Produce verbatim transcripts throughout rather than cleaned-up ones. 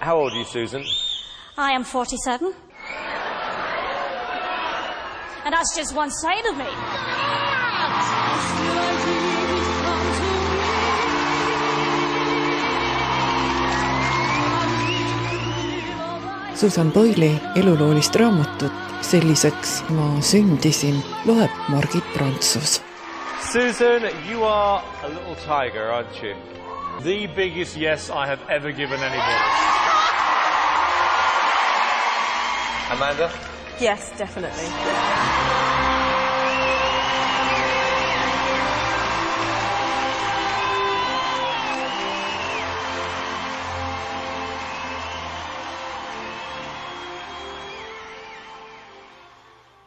How old are you, Susan? I am forty-seven. And that's just one side of me. Susan Boyle'i eluloolist raamatut Selliseks ma sündisin loeb Margit Prantsus. Susan, you are a little tiger, aren't you? The biggest yes I have ever given anybody. Amanda? Yes, definitely.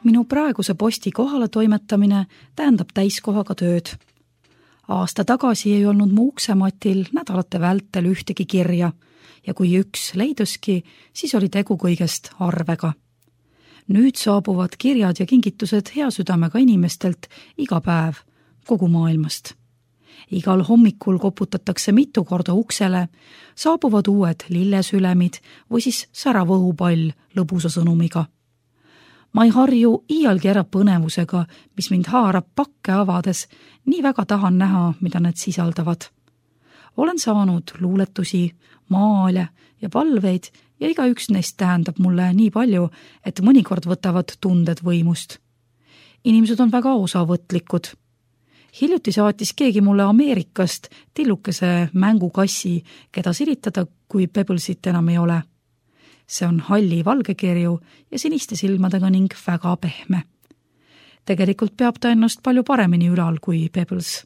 Minu praeguse posti kohale toimetamine tähendab täiskohaga tööd. Aasta tagasi ei olnud mu uksematil nädalate vältel ühtegi kirja ja kui üks leiduski, siis oli tegu kõigest arvega. Nüüd saabuvad kirjad ja kingitused hea südamega inimestelt iga päev kogu maailmast. Igal hommikul koputatakse mitu korda uksele, saabuvad uued lillesülemid või siis särav õhupall lõbusa sõnumiga. Ma ei harju iialgi ära põnevusega, mis mind haarab pakke avades, nii väga tahan näha, mida need sisaldavad. Olen saanud luuletusi, maale ja palveid ja iga üks neist tähendab mulle nii palju, et mõnikord võtavad tunded võimust. Inimesed on väga osavõtlikud. Hiljuti saatis keegi mulle Ameerikast tillukese mängukassi, keda siritada, kui Pebblesit enam ei ole. See on halli valgekirju ja siniste silmadega ning väga pehme. Tegelikult peab ta ennast palju paremini ülal kui Pebbles.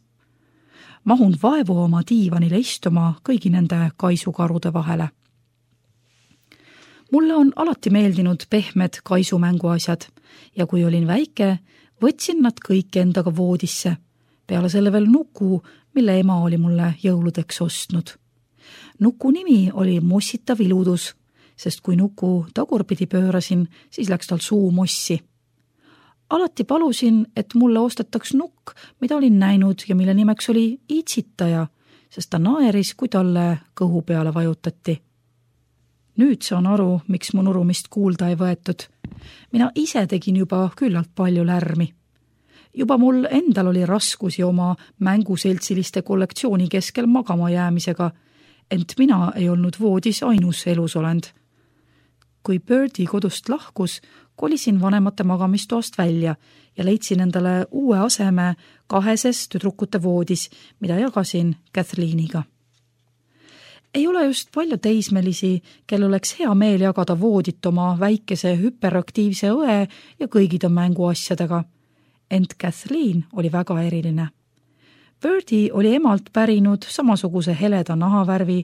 Mahun vaevu oma diivanile istuma kõigi nende kaisukarude vahele. Mulle on alati meeldinud pehmed kaisumänguasjad ja kui olin väike, võtsin nad kõik endaga voodisse. Peale selle veel nuku, mille ema oli mulle jõuludeks ostnud. Nuku nimi oli Mossitav iludus, sest kui nuku tagurpidi pöörasin, siis läks tal suu mossi. Alati palusin, et mulle ostetaks nukk, mida olin näinud ja mille nimeks oli itsitaja, sest ta naeris, kui talle kõhu peale vajutati. Nüüd saan aru, miks mu nurumist kuulda ei võetud. Mina ise tegin juba küllalt palju lärmi. Juba mul endal oli raskusi oma mänguseltsiliste kollektsiooni keskel magama jäämisega, ent mina ei olnud voodis ainus elusolend. Kui Birdie kodust lahkus, kolisin vanemate magamistoast välja ja leidsin endale uue aseme kaheses tüdrukute voodis, mida jagasin Kathleeniga. Ei ole just palju teismelisi, kel oleks hea meel jagada voodit oma väikese hüperaktiivse õe ja kõigide mänguasjadega. Ent Kathleen oli väga eriline. Birdie oli emalt pärinud samasuguse heleda nahavärvi,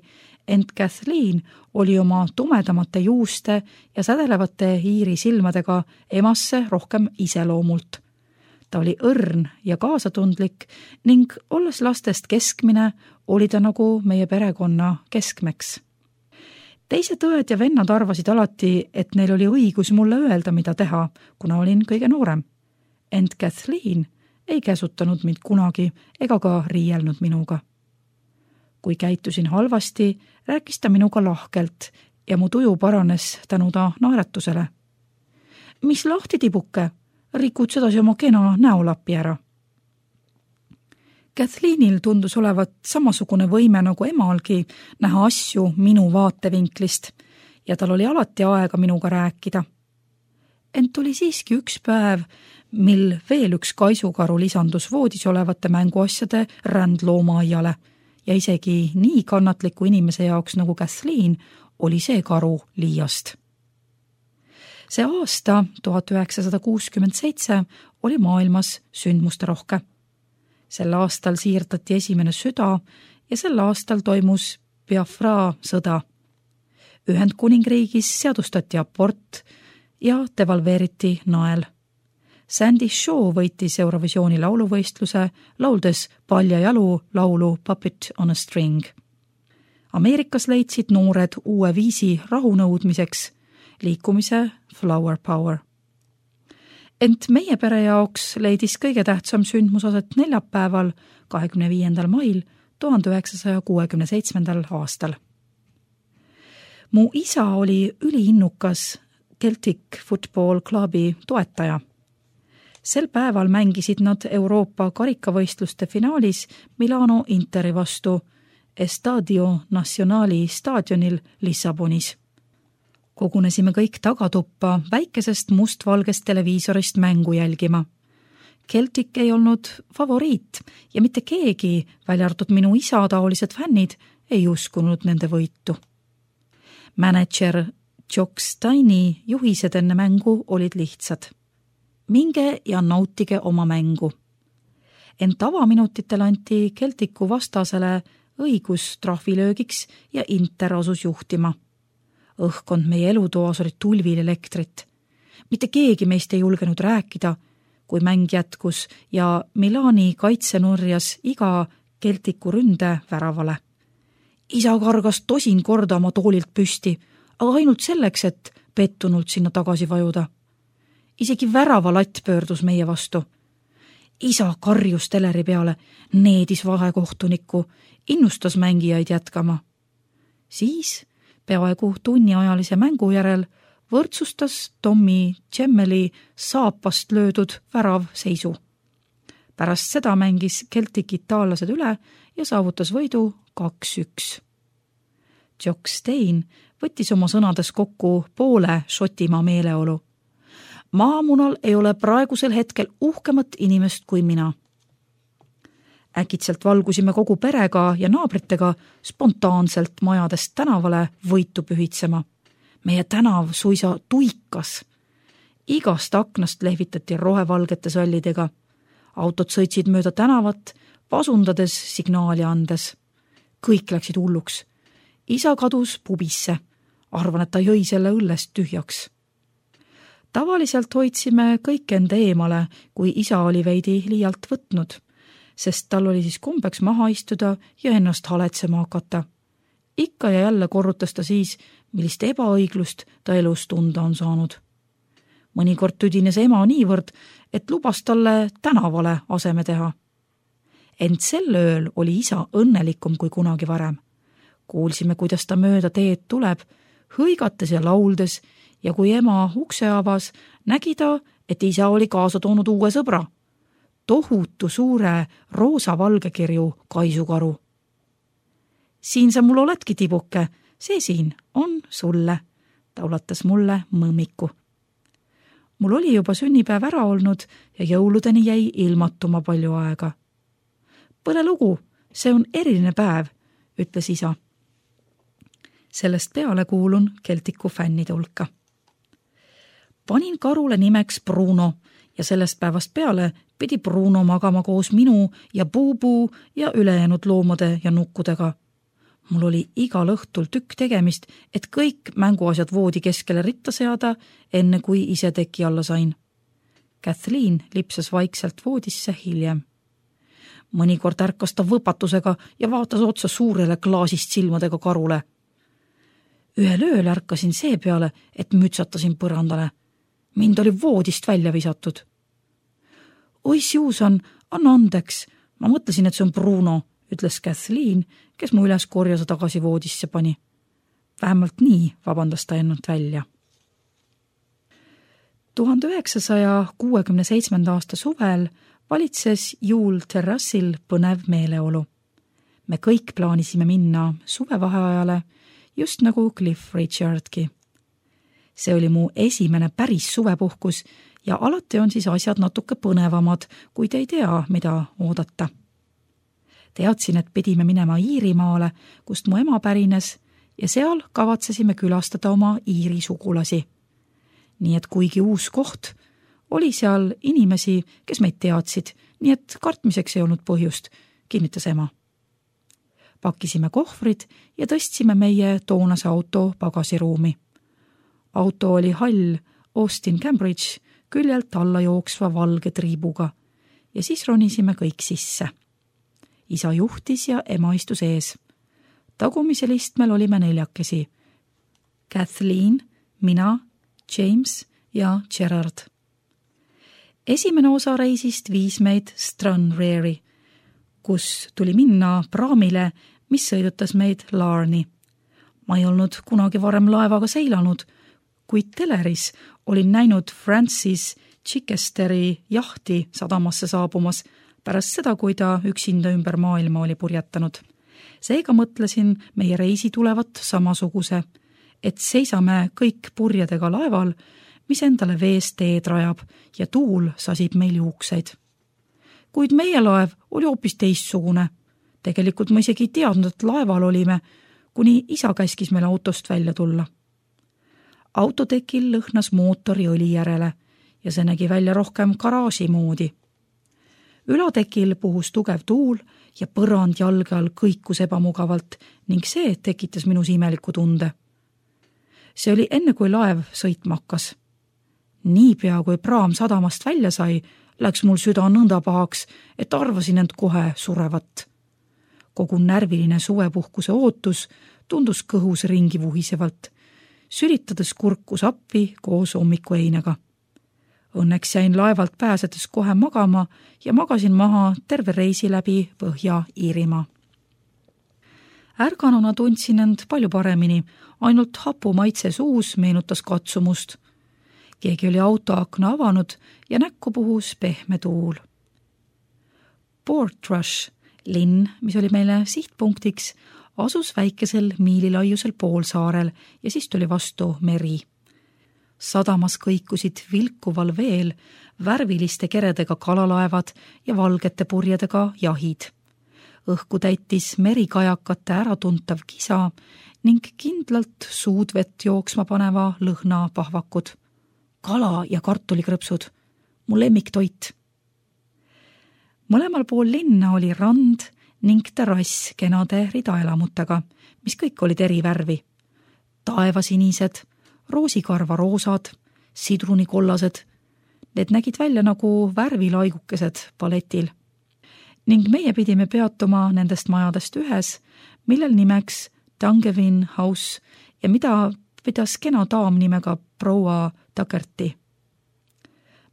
ent Kathleen oli oma tumedamate juuste ja sädelevate iiri silmadega emasse rohkem iseloomult. Ta oli õrn ja kaasatundlik ning olles lastest keskmine, oli ta nagu meie perekonna keskmeks. Teised õed ja vennad arvasid alati, et neil oli õigus mulle öelda, mida teha, kuna olin kõige noorem. Ent Kathleen ei käsutanud mind kunagi ega ka riielnud minuga. Kui käitusin halvasti, rääkis ta minuga lahkelt ja mu tuju paranes tänu ta naeratusele. Mis lahti tibuke, rikud sedasi oma kena näolapi ära. Kathleenil tundus olevat samasugune võime nagu emalgi näha asju minu vaatevinklist ja tal oli alati aega minuga rääkida. Ent oli siiski üks päev, mil veel üks kaisukaru lisandus voodis olevate mänguasjade rändloomaaiale ja isegi nii kannatliku inimese jaoks nagu Kathleen oli see karu liiast. See aasta tuhat üheksasada kuuskümmend seitse oli maailmas sündmuste rohke. Sel aastal siirdati esimene süda ja sel aastal toimus Biafra sõda. Ühendkuningriigis seadustati abort ja devalveeriti nael. Sandy Shaw võitis Eurovisiooni lauluvõistluse, lauldes palja jalu laulu Puppet on a String. Ameerikas leidsid noored uue viisi rahunõudmiseks, liikumise Flower Power. Ent meie pere jaoks leidis kõige tähtsam sündmusaset neljapäeval, kahekümne viiendal mail tuhande üheksasaja kuuekümne seitsmendal aastal. Mu isa oli üliinnukas Celtic Football Clubi toetaja. Sel päeval mängisid nad Euroopa karikavõistluste finaalis Milano Interi vastu Estadio Nacionali staadionil Lissabonis. Kogunesime kõik tagatuppa väikesest mustvalgest televiisorist mängu jälgima. Celtic ei olnud favoriit ja mitte keegi, välja arvatud minu isa taolised fännid, ei uskunud nende võitu. Manager Jock Steini juhised enne mängu olid lihtsad. Minge ja nautige oma mängu. Ent tavaminutitel anti Celticu vastasele õigus trahvilöögiks ja Inter asus juhtima. Õhkond meie elutoas oli tulvil elektrit. Mitte keegi meist ei julgenud rääkida, kui mäng jätkus ja Milani kaitse nurjas iga Celticu ründe väravale. Isa kargas tosin korda oma toolilt püsti, aga ainult selleks, et pettunult sinna tagasi vajuda. Isegi värava latt pöördus meie vastu. Isa karjus teleri peale, needis vahekohtunikku, innustas mängijaid jätkama. Siis, peaaegu tunniajalise mängu järel, võrdsustas Tommy Gemmeli saapast löödud värav seisu. Pärast seda mängis Celtic itaallased üle ja saavutas võidu kaks üks. Jock Stein võttis oma sõnades kokku poole Šotimaa meeleolu. Maamunal ei ole praegusel hetkel uhkemat inimest kui mina. Äkitselt valgusime kogu perega ja naabritega spontaanselt majadest tänavale võitu pühitsema. Meie tänav suisa tuikas. Igast aknast lehvitati rohevalgete sallidega. Autod sõitsid mööda tänavat, pasundades signaali andes. Kõik läksid hulluks. Isa kadus pubisse. Arvan, et ta jõi selle õllest tühjaks. Tavaliselt hoidsime kõik enda eemale, kui isa oli veidi liialt võtnud, sest tal oli siis kombeks maha istuda ja ennast haletsema hakata. Ikka ja jälle korrutas ta siis, millist ebaõiglust ta elus tunda on saanud. Mõnikord tüdines ema niivõrd, et lubas talle tänavale aseme teha. Ent sel ööl oli isa õnnelikum kui kunagi varem. Kuulsime, kuidas ta mööda teed tuleb, hõigates ja lauldes, ja kui ema ukse avas, nägi ta, et isa oli kaasa toonud uue sõbra. Tohutu suure roosa-valgekirju kaisukaru. Siin sa mul oledki, tibuke, see siin on sulle, ta ulatas mulle mõmmiku. Mul oli juba sünnipäev ära olnud ja jõuludeni jäi ilmatuma palju aega. Põle lugu, see on eriline päev, ütles isa. Sellest peale kuulun Celticu fännide hulka. Panin karule nimeks Bruno ja sellest päevast peale pidi Bruno magama koos minu ja Bubu ja ülejäänud loomade ja nukkudega. Mul oli igal õhtul tükk tegemist, et kõik mänguasjad voodi keskele ritta seada, enne kui ise teki alla sain. Kathleen lipsas vaikselt voodisse hiljem. Mõnikord ärkas ta võpatusega ja vaatas otsa suurele klaasist silmadega karule. Ühel ööl ärkasin see peale, et mütsatasin põrandale. Mind oli voodist välja visatud. Oi, Susan, anna andeks. Ma mõtlesin, et see on Bruno, ütles Kathleen, kes mu üles korjasa tagasi voodisse pani. Vähemalt nii vabandas ta ennast välja. tuhande üheksasaja kuuekümne seitsmenda aasta suvel valitses Juul terrassil põnev meeleolu. Me kõik plaanisime minna suvevaheajale, just nagu Cliff Richardki. See oli mu esimene päris suvepuhkus ja alati on siis asjad natuke põnevamad, kui te ei tea, mida oodata. Teadsin, et pidime minema Iirimaale, kust mu ema pärines, ja seal kavatsesime külastada oma Iiri sugulasi. Nii et kuigi uus koht, oli seal inimesi, kes meid teadsid, nii et kartmiseks ei olnud põhjust, kinnitas ema. Pakkisime kohvrid ja tõstsime meie toonase auto pagasiruumi. Auto oli hall Austin Cambridge küljelt alla jooksva valge triibuga ja siis ronisime kõik sisse. Isa juhtis ja ema istus ees. Tagumisel istmel olime neljakesi. Kathleen, mina, James ja Gerard. Esimene osa reisist viis meid Stranraeri, kus tuli minna praamile, mis sõidutas meid Larni. Ma ei olnud kunagi varem laevaga seilanud, kuid teleris olin näinud Francis Chichesteri jahti sadamasse saabumas pärast seda, kui ta üksinda ümber maailma oli purjetanud. Seega mõtlesin meie reisi tulevat samasuguse, et seisame kõik purjedega laeval, mis endale vees teed rajab ja tuul sasib meil juukseid. Kuid meie laev oli hoopis teistsugune. Tegelikult ma isegi ei teadnud, et laeval olime, kuni isa käskis meil autost välja tulla. Autotekil lõhnas mootori õli järele ja see nägi välja rohkem garaaži moodi. Ülatekil puhus tugev tuul ja põrand jalge all kõikus ebamugavalt ning see tekitas minus imeliku tunde. See oli enne, kui laev sõitma hakkas. Niipea, kui praam sadamast välja sai, läks mul süda nõnda pahaks, et arvasin end kohe surevat. Kogu närviline suvepuhkuse ootus tundus kõhus ringi vuhisevalt, sülitades kurkus appi koos hommikueinega. Õnneks jäin laevalt pääsedes kohe magama ja magasin maha terve reisi läbi Põhja-Iirimaa. Ärganuna tundsin end palju paremini, ainult hapu maitse suus meenutas katsumust. Keegi oli autoakna avanud ja näkku puhus pehme tuul. Portrush, linn, mis oli meile sihtpunktiks, asus väikesel miililaiusel poolsaarel ja siis tuli vastu meri. Sadamas kõikusid vilkuval veel värviliste keredega kalalaevad ja valgete purjedega jahid. Õhku täitis merikajakate äratuntav kisa ning kindlalt suudvett jooksma paneva lõhna pahvakud. Kala ja kartulikrõpsud, mu lemmiktoit. Mõlemal pool linna oli rand ning terrass kenade ridaelamutega, mis kõik olid eri värvi. Taevasinised, roosikarva roosad, sidrunikollased. Need nägid välja nagu värvilaigukesed paletil. Ning meie pidime peatuma nendest majadest ühes, millel nimeks Dungevin House ja mida pidas kena daam nimega proua Takerti.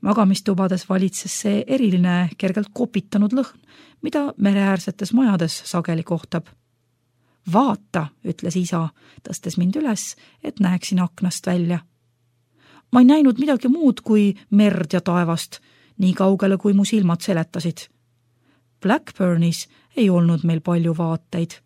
Magamistubades valitses see eriline kergelt kopitanud lõhn, mida mereäärsetes majades sageli kohtab. Vaata, ütles isa, tõstes mind üles, et näeksin aknast välja. Ma ei näinud midagi muud kui merd ja taevast, nii kaugele kui mu silmad seletasid. Blackburnis ei olnud meil palju vaateid.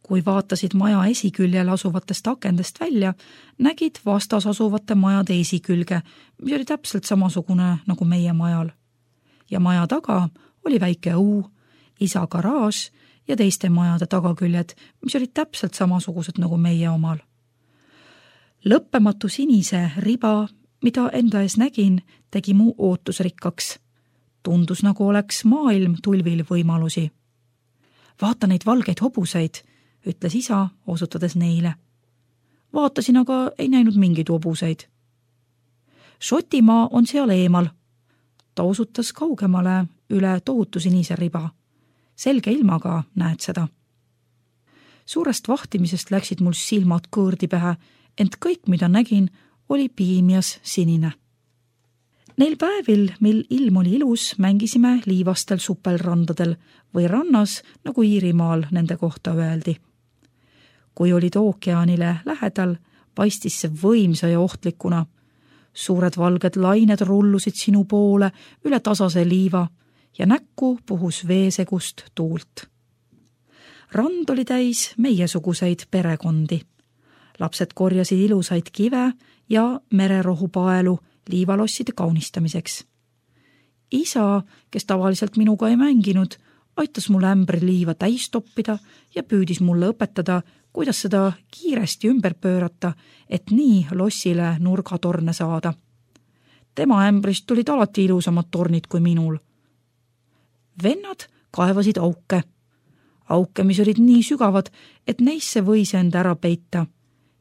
Kui vaatasid maja esiküljel asuvatest akendest välja, nägid vastas asuvate majade esikülge, mis oli täpselt samasugune nagu meie majal. Ja maja taga oli väike õu, isa garaaž ja teiste majade tagaküljed, mis olid täpselt samasugused nagu meie omal. Lõppematu sinise riba, mida enda ees nägin, tegi mu ootusrikkaks. Tundus nagu oleks maailm tulvil võimalusi. Vaata neid valgeid hobuseid, ütles isa, osutades neile. Vaatasin, aga ei näinud mingeid hobuseid. Šotimaa on seal eemal. Ta osutas kaugemale üle tohutu sinise riba. Selge ilmaga näed seda. Suurest vahtimisest läksid mul silmad kõõrdi pähe, ent kõik, mida nägin, oli piimias sinine. Neil päevil, mil ilm oli ilus, mängisime liivastel supelrandadel või rannas, nagu Iirimaal nende kohta öeldi. Kui olid ookeanile lähedal, paistis see võimsa ja ohtlikuna. Suured valged lained rullusid sinu poole üle tasase liiva ja näkku puhus veesegust tuult. Rand oli täis meiesuguseid perekondi. Lapsed korjasid ilusaid kive ja mererohupaelu liivalosside kaunistamiseks. Isa, kes tavaliselt minuga ei mänginud, aitas mul ämbri liiva täis toppida ja püüdis mulle õpetada, kuidas seda kiiresti ümber pöörata, et nii lossile nurgatorne saada. Tema ämbrist tulid alati ilusamad tornid kui minul. Vennad kaevasid auke. Auke, mis olid nii sügavad, et neisse võis end ära peita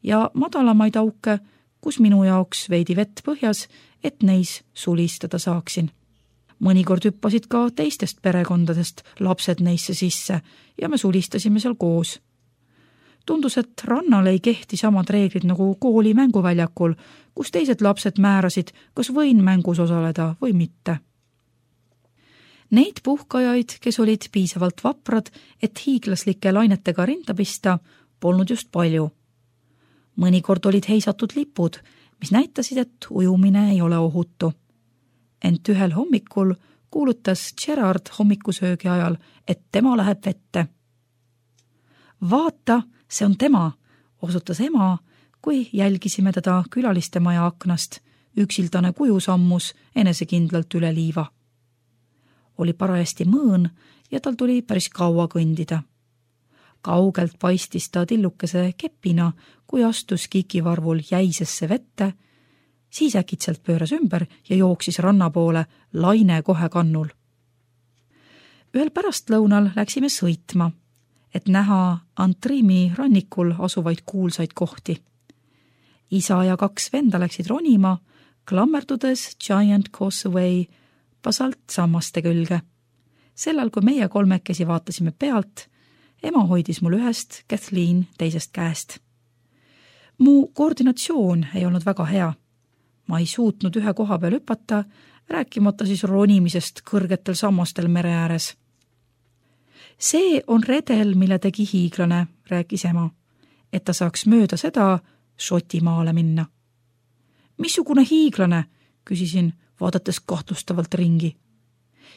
ja madalamaid auke, kus minu jaoks veidi vett põhjas, et neis sulistada saaksin. Mõnikord hüppasid ka teistest perekondadest lapsed neisse sisse ja me sulistasime seal koos. Tundus, et rannal ei kehti samad reeglid nagu kooli mänguväljakul, kus teised lapsed määrasid, kas võin mängus osaleda või mitte. Neid puhkajaid, kes olid piisavalt vaprad, et hiiglaslike lainetega rinda pista, polnud just palju. Mõnikord olid heisatud lipud, mis näitasid, et ujumine ei ole ohutu. Ent ühel hommikul kuulutas Gerard hommikusöögi ajal, et tema läheb vette. Vaata, see on tema, osutas ema, kui jälgisime teda külaliste maja aknast. Üksildane kuju sammus enesekindlalt üle liiva. Oli parajasti mõõn ja tal tuli päris kaua kõndida. Kaugelt paistis ta tillukese kepina, kui astus kikivarvul jäisesse vette, siis äkitselt pööras ümber ja jooksis ranna poole laine kohe kannul. Ühel pärastlõunal läksime sõitma, et näha Antrimi rannikul asuvaid kuulsaid kohti. Isa ja kaks venda läksid ronima, klammerdudes Giant Causeway basalt sammaste külge. Sellal, kui meie kolmekesi vaatasime pealt, ema hoidis mul ühest, Kathleen teisest käest. Mu koordinatsioon ei olnud väga hea. Ma ei suutnud ühe koha peal hüpata, rääkimata siis ronimisest kõrgetel sammastel mere ääres. See on redel, mille tegi hiiglane, rääkis ema, et ta saaks mööda seda Šotimaale minna. Missugune hiiglane, küsisin, vaadates kahtlustavalt ringi.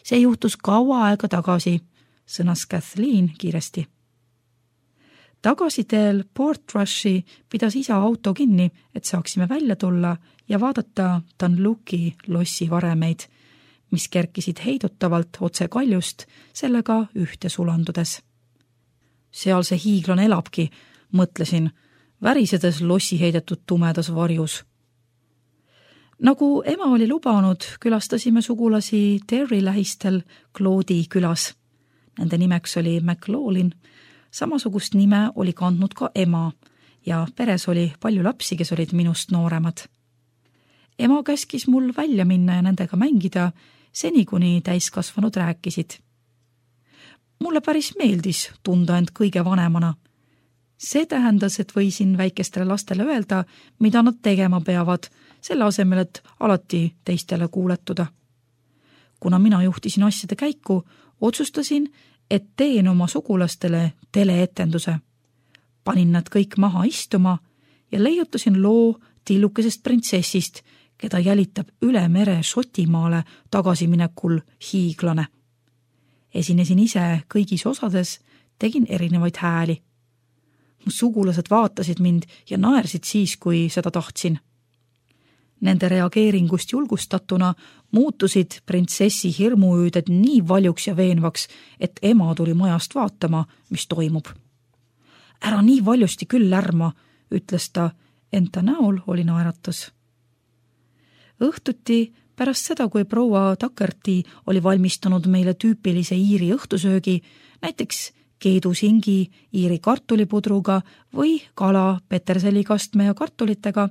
See juhtus kaua aega tagasi, sõnas Kathleen kiiresti. Tagasiteel Portrushi pidas isa auto kinni, et saaksime välja tulla ja vaadata Dunluki lossi varemeid, mis kerkisid heidutavalt otse kaljust, sellega ühte sulandudes. Seal see hiiglane elabki, mõtlesin, värisedes lossi heidetud tumedas varjus. Nagu ema oli lubanud, külastasime sugulasi Terry lähistel Claude'i külas. Nende nimeks oli McLaughlin. Samasugust nime oli kandnud ka ema ja peres oli palju lapsi, kes olid minust nooremad. Ema käskis mul välja minna ja nendega mängida, seni kuni täiskasvanud rääkisid. Mulle päris meeldis tunda end kõige vanemana. See tähendas, et võisin väikestele lastele öelda, mida nad tegema peavad, selle asemel, et alati teistele kuuletuda. Kuna mina juhtisin asjade käiku, otsustasin, et teen oma sugulastele teleetenduse. Panin nad kõik maha istuma ja leiutasin loo tillukesest printsessist, keda jälitab üle mere Šotimaale tagasiminekul hiiglane. Esinesin ise kõigis osades, tegin erinevaid hääli. Mu sugulased vaatasid mind ja naersid siis, kui seda tahtsin. Nende reageeringust julgustatuna muutusid printsessi hirmuüüded nii valjuks ja veenvaks, et ema tuli majast vaatama, mis toimub. Ära nii valjusti küll lärma, ütles ta, ent ta näol oli naeratus. Õhtuti pärast seda, kui proua Takerti oli valmistanud meile tüüpilise iiri õhtusöögi, näiteks keedusingi iiri kartulipudruga või kala peterselikastme ja kartulitega,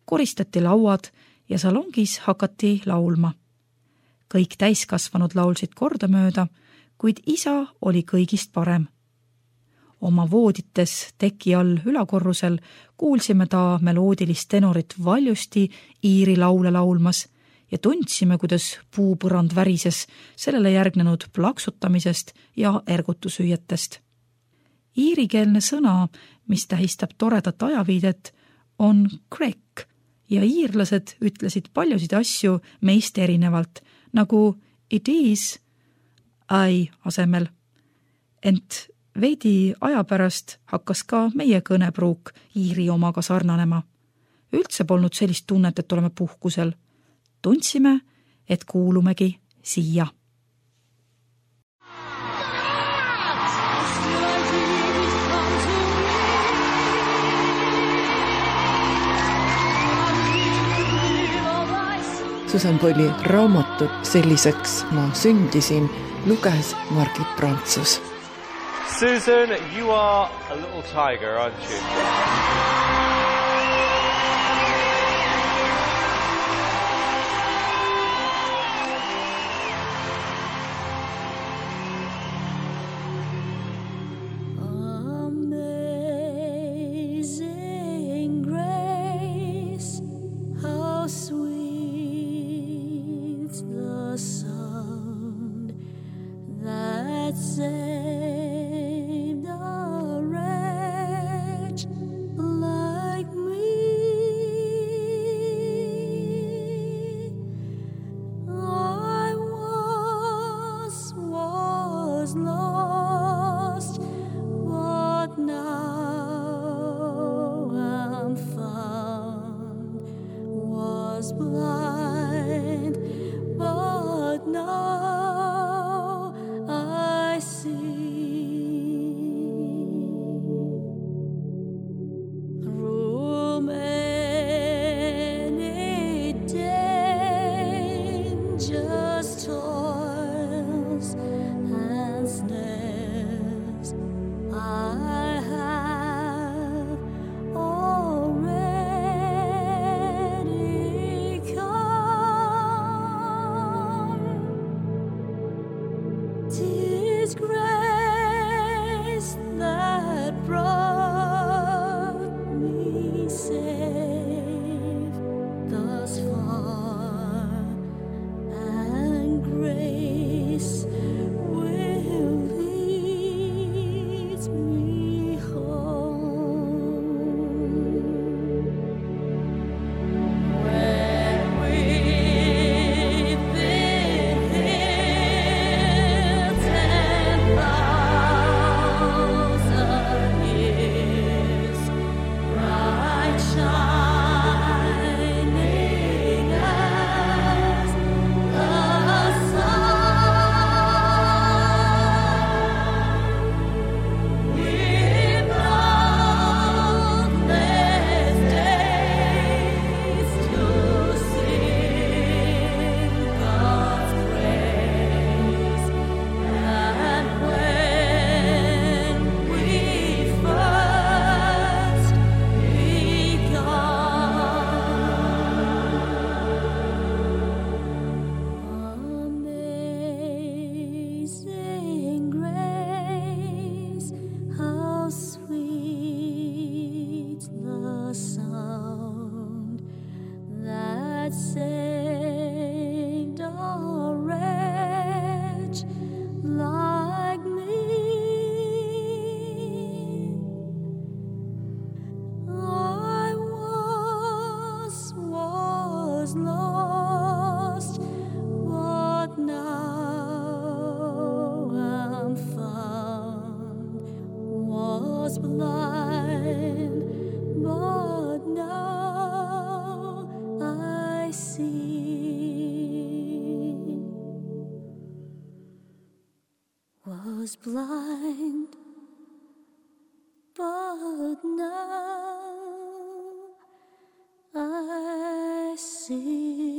koristati lauad ja salongis hakati laulma. Kõik täiskasvanud laulsid kordamööda, kuid isa oli kõigist parem. Oma voodites teki all ülakorrusel kuulsime ta meloodilist tenorit valjusti iiri laule laulmas ja tundsime, kuidas puupõrand värises sellele järgnenud plaksutamisest ja ergutusüüetest. Iirikeelne sõna, mis tähistab toredat ajaviidet, on crack ja iirlased ütlesid paljusid asju meist erinevalt, nagu it is I asemel. Ent veidi aja pärast hakkas ka meie kõnepruuk iiri omaga sarnanema. Üldse polnud sellist tunnet, et oleme puhkusel. Tundsime, et kuulumegi siia. Susan Boyle'i raamatut Selliseks ma sündisin luges Margit Prantsus. Susan, you are a little tiger, aren't you? Saved a wretch blind, but now I see. Through many dangerous toils and snares, I have already come. 'Tis grace that brought me safe thus far, and grace will lead me home. When we've been here ten thousand years, bright shining as the sun, with boundless days to sing God's praise. And when we first Amazing grace, how sweet the sound that saved a wretch like me. I once was lost, but now I'm found. Was blind, but now I see. Was blind, but now I see.